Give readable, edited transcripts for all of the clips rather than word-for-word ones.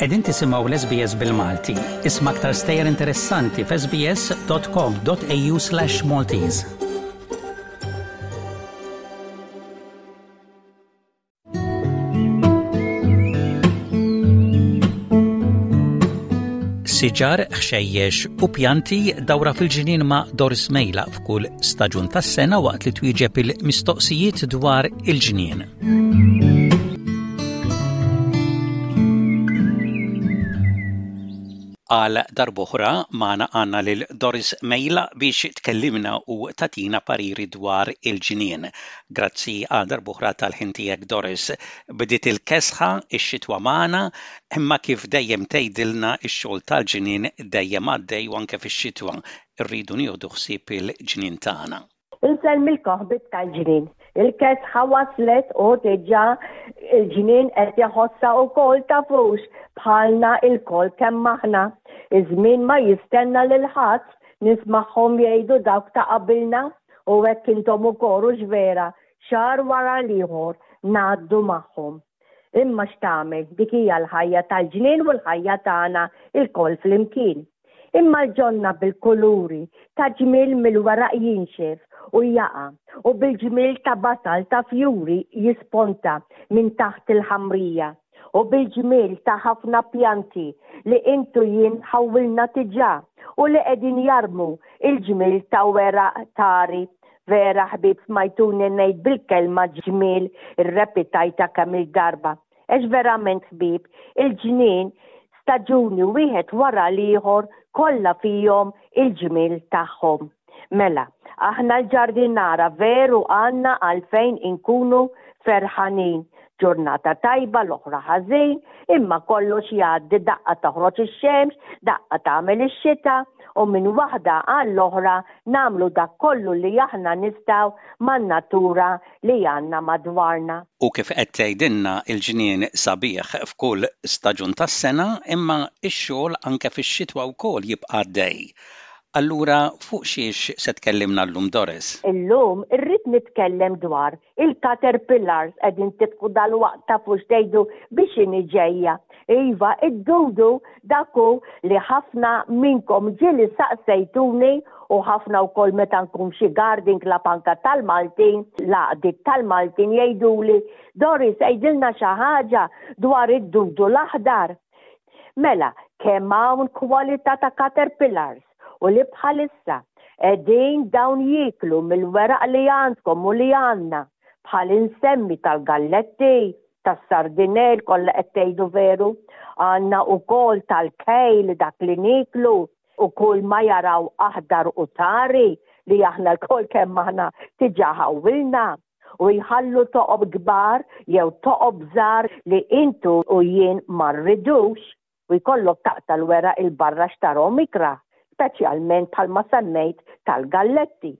Qegħdin tisimgħu l-SBS bil-Malti. Isma' aktar stejjer interessanti f'sbs.com.au/maltese. Siġar, ħxejjex u pjanti dawra fil-ġnien ma' Doris Mejla f'kull staġun tas-sena waqt li twieġeb il-mistoqsijiet dwar il-ġnien. Għal darb'oħra magħna għandna lil Doris Mejla biex tkellimna u tagħtina pariri dwar il-ġnien. Grazzi għal darb'oħra tal-ħin tiegħek Doris. Bdiet il-kesħa, ix-xitwa magħna, imma kif dejjem tgħidilna x-xogħol tal-ġnien dejjem għaddej u anke fix-xitwa rridu nieħdu ħsieb il-ġnien tagħna. Insellmilkom ħbieb tal-ġnien. Il-kesħa waslet u diġà il-ġnien qed iħossha wkoll tafux bħalna ilkoll kemm aħna. Iż-żmien ma jistenna lil ħadd, nismagħhom jgħidu dawk ta' qabilna. U hekk intom ukoll, hux vera, xahar wara l-ieħor ngħaddu magħhom. Imma x'tagħmel, dik hija l-ħajja tal-ġnien u l-ħajja tagħna lkoll flimkien. Imma l-ġonna bil-kuluri ta' ġmiel mill-weraq jinxef u jaqa' u bil-ġmiel ta' basal ta' fjuri jisponta minn taħt il-ħamrija u bil-ġmiel ta' ħafna pjanti li int u jien ħawwilna diġà u li qegħdin jarmu il-ġmiel ta' weraq tari. Vera ħbieb smajtuni ngħid bil-kelma ġmiel irrepitajtha kemm-il darba. Għax verament ħbieb, il-ġnien staġuni wieħed wara l-ieħor kollha fihom il-ġmiel tagħhom. Mela, aħna l-ġardinara veru għandna għalfejn inkunu ferħanin. Ġurnata tajba, l-oħra ħażin, imma kollox jgħaddi daqqa toħroġ ix-xemx, daqqa tagħmel ix-xita u minn waħda għall-oħra nagħmlu dak kollu li aħna nistgħu man-natura li għandna madwarna. U kif qed tgħidilna l-ġnien sabiħ f'kull staġun tas-sena imma x-xogħol anke fix-xitwa wkoll jibqa' għaddej. Allura fuq xiex se tkellimna llum Doris? Illum irrid nitkellem dwar il-caterpillars qegħdin tidħku dalwaqt tafu x'tgħidu biex inhi ġejja. Iva, id-dudu dak hu li ħafna minnkom ġieli saqsejtuni u ħafna wkoll meta nkun f'xi garden club anke tal-Maltin, l-għaqdiet tal-Maltin jgħiduli, Doris għidilna xi ħaġa dwar id-dudu l-aħdar. Mela, kemm hawn kwalità ta' caterpillars u li bħalissa qegħdin dawn jieklu mill-weraq li għandkom u li għandna, bħal insemmi tal-galletti, tas-sardinell, kollha qed tgħidu veru, għandna wkoll tal-kejl dak li nieklu u kull ma jaraw aħdar u tari li aħna lkoll kemm aħna diġà ħawwilna u jħallu toqob kbar jew toqob żgħar li intu u jien ma rridux u jkollok taqta' l-weraq 'il barra x'tarhom ikrah, speċjalment bħalma semmejt tal-galletti.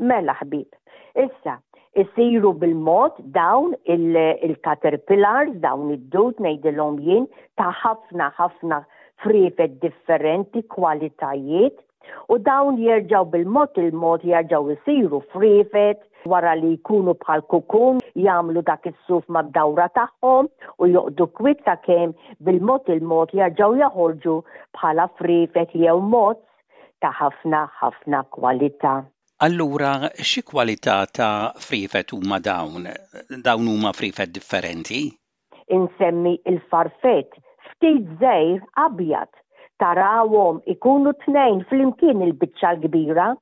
Mela ħbieb, issa, isiru bil-mod dawn il-caterpillars, dawn id-dud ngħidilhom jien, ta' ħafna ħafna friefet differenti, kwalitajiet, U dawn jerġgħu bil-mod il-mod jerġgħu jsiru friefet wara li jkunu bħal kukun jagħmlu dak is-suf mad-dawra tagħhom u joqogħdu kwiet sakemm bil-mod il-mod jerġgħu joħorġu bħala friefet jew mozz ta' ħafna ħafna kwalità. Allura xi kwalità ta' friefet huma dawn? Dawn huma friefet differenti? Insemmi il-farfett ftit żgħir abjad. Tarawhom ikunu tnejn flimkien il-biċċa l-kbira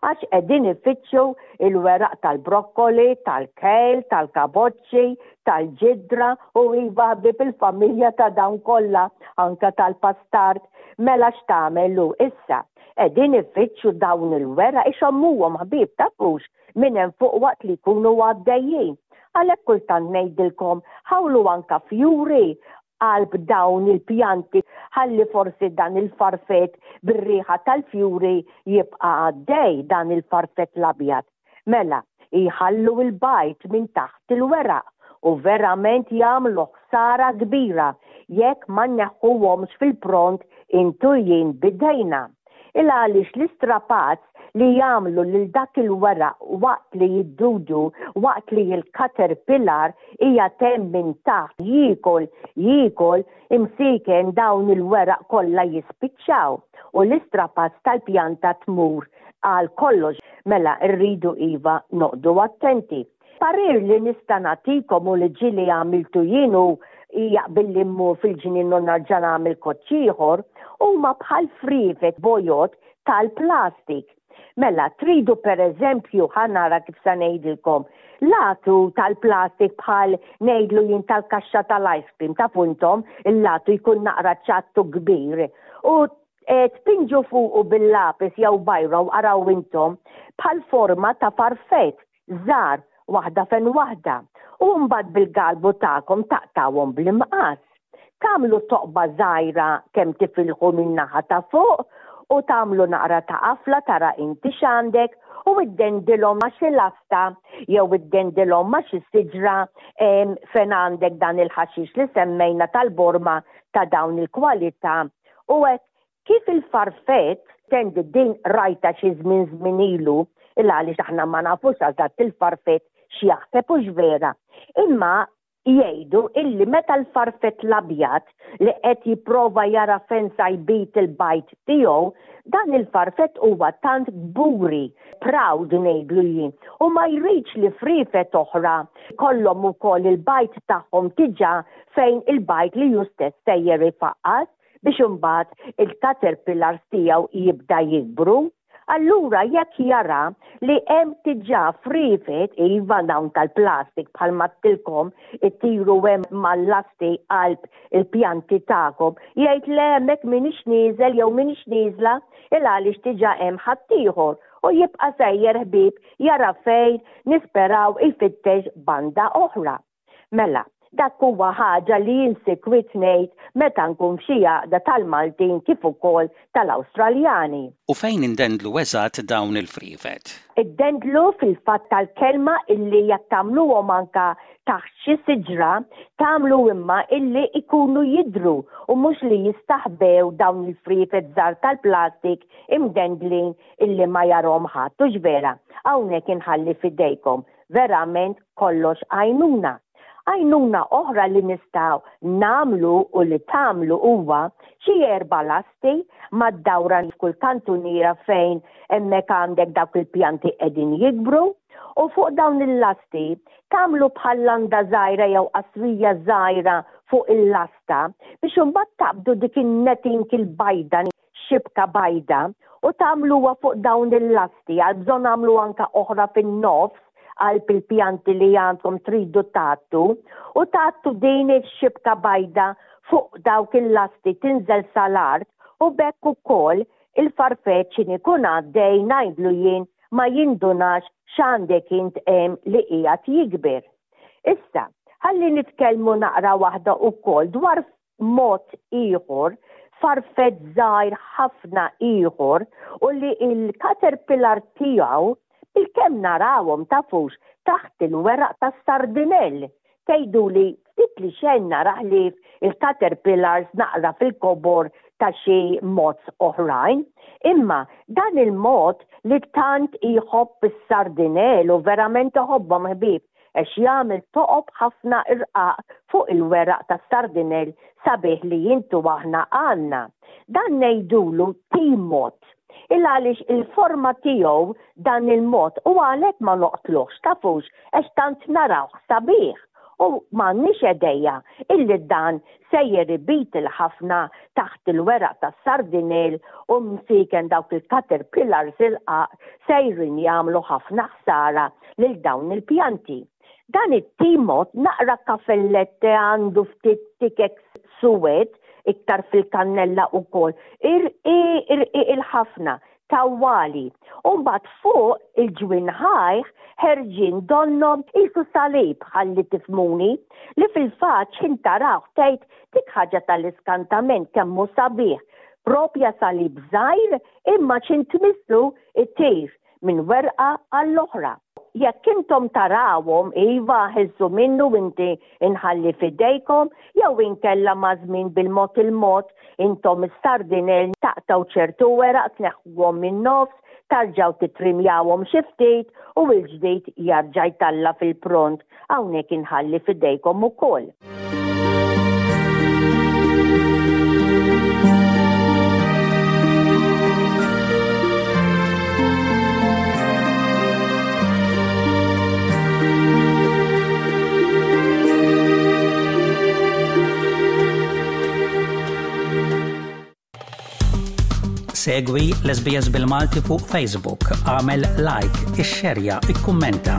għax qegħdin ifittxu il-weraq tal-brokkoli, tal-kale, tal-kaboċċi, tal-ġidra u iva ħbieb il-familja ta' dawn kollha, anke tal-pastard. Mela x'tagħmel hu issa? Qegħdin ifittxu dawn il-weraq ixommuhom ħbieb tafux minn hemm fuq waqt li jkunu għaddejjin. Għalhekk kultant ngħidilkom ħawlu anka fjuri qalb dawn il-pjanti ħalli forsi dan il-farfett bir-riħa tal-fjuri jibqa' għaddej dan il-farfett l-abjad. Mela, jħallu l-bajd minn taħt il-weraq u verament jagħmlu ħsara kbira jekk ma nneħħuhomx fil-pront intu jien b'idejna. Il għaliex l-istrapazz li jagħmlu lil dak il-weraq waqt li jiddudu, waqt li l-caterpillar qiegħed hemm minn taħt jiekol, jiekol, imsieken dawn il-weraq kollha jispiċċaw u l-istrapazz tal-pjanta tmur għal kollox. Mela rridu iva noqogħdu attenti. Parir li nista' nagħtikom u li ġieli għamiltu jien u jaqbilli mmur fil-ġnien u nerġa' nagħmel koċċ ieħor, huma bħal friefet bojod tal-plastik. Mela, tridu per eżempju, ħa nara kif sa ngħidilkom, latu tal-plastik bħal ngħidlu jien tal-kaxxa tal-ice cream, tafu intom, il-latu jkun naqra ċattu kbir. U e, tpinġu fuqu bil-lapis jew bajra u araw intom bħal forma ta' farfett żgħar waħda fejn waħda u mbagħad bil-galbu tagħkom taqtawhom bl-imqass. Tagħmlu toqba żgħira kemm tifilħu min-naħa ta' fuq u tagħmlu naqra ta' qafla tara inti x'għandek u iddendilhom ma' xi lasta jew iddendilhom ma' xi siġra fejn għandek dan il-ħaxix li semmejna tal-borma ta' dawn il-kwalità u hekk Kif il-farfett, tendi din rajtha xi żmien żmien ilu, il għaliex aħna ma nafux eżatt il-farfett x'jaħseb hux vera. Imma jgħidu illi meta l-farfett l-abjad li qed jipprova jara fejn sa jbid il-bajd tiegħu, dan il-farfett huwa tant kburi, proud ngħidlu jien, u ma jridx li friefet oħra jkollhom ukoll il-bajd tagħhom diġà fejn il-bajd li hu stess sejjer ifaqqas. biex imbagħad il-caterpillars tiegħu jibda jikbru. Allura jekk jara li hemm diġà friefet, iva dawn tal-plastik bħalma għedtilkom itiru hemm mal-lasti qalb il-pjanti tagħkom, jgħid le hemmhekk m'iniex nieżel jew m'iniex nieżla il għaliex diġà hemm ħaddieħor u jibqa' sejjer ħbieb jara fejn nisperaw ifittex banda oħra. Mela, dak huwa ħaġa li jien sikwit ngħid meta nkun f'xi għaqda tal-Maltin kif ukoll tal-Awstraljani. U fejn indendlu eżatt dawn il-friefet? Iddendlu fil-fatt tal-kelma illi jekk tagħmluhom anka taħt xi siġra, tagħmlu imma illi jkunu jidhru u mhux li jistaħbew dawn il-friefet żgħar tal-plastik imdendlin illi ma jarhom ħadd, hux vera? Hawnhekk inħalli f'idejkom. Verament kollox għajnuna. Għajnuna oħra li nistgħu nagħmlu u li tagħmlu huwa xi erba' lasti mad-dawra f'kull kantuniera fejn hemmhekk għandek dawk il-pjanti qegħdin jikbru u fuq dawn il-lasti tagħmlu bħal landa żgħira jew qasrija żgħira fuq il-lasta biex imbagħad taqbdu dik in-netting il-bajda xibka bajda u tagħmluha fuq dawn il-lasti, għal bżonn agħmlu anka oħra fin-nofs qalb il-pjanti li għandkom tridu tgħattu u tgħattu din ix-xibka bajda fuq dawk il-lasti tinżel sal-art u b'hekk ukoll il-farfett x'in ikun għaddej ngħidlu jien ma jindunax x'għandek int hemm li qiegħed jikber. Issa, ħalli nitkellmu naqra waħda ukoll dwar mod ieħor, farfett żgħir ħafna ieħor u li l-caterpillar tiegħu bilkemm narawhom tafux taħt il-weraq tas-sardinell. Tgħiduli ftit li xejn nara ħlief il-caterpillars naqra fil-kobor ta' xi moths oħrajn. Imma dan il-moth li tant jħobb is-sardinell u verament iħobbhom ħbieb għax jagħmel toqob ħafna irqaq fuq il-weraq tas-sardinell sabiħ li int u aħna għandna. Dan ngħidulu timot. Il għaliex il-forma tiegħu dan il-mod u għalhekk ma noqtluhx tafux għax tant narawh sabiħ u m'għandniex edeja illi dan sejjer ibit il-ħafna taħt il-weraq tas-sardinell u msieken dawk il-caterpillars irqaq sejrin jagħmlu ħafna ħsara lil dawn il-pjanti. Dan it-timot naqra kafellette għandu ftit tikek suwed iktar fil-kannella ukoll. Irqiq irqiq il-ħafna tawwali. U mbagħad fuq il-ġwinħajh ħerġin donnhom qisu salib ħalli tifhmuni, li fil-fatt x'ħin tarawh tgħid dik ħaġa tal-iskantament kemm hu sabiħ. Propja salib żgħir imma x'ħin tmissu jtir minn werqa għall-oħra. Jekk intom tarawhom, iva, ħilsu minnu inti inħalli f'idejkom, jew inkella maż-żmien bil-mod il-mod intom is-sardinell taqtgħu ċertu weraq tneħħuhom min-nofs, Tarġgħu tittrimjawhom xi ftit u l-ġdid jarġa' jtalla' fil-pront. Hawnhekk inħalli f'idejkom ukoll. Segwi l-SBS bil-Malti fuq Facebook, għamel like, ixxerja, ikkummenta.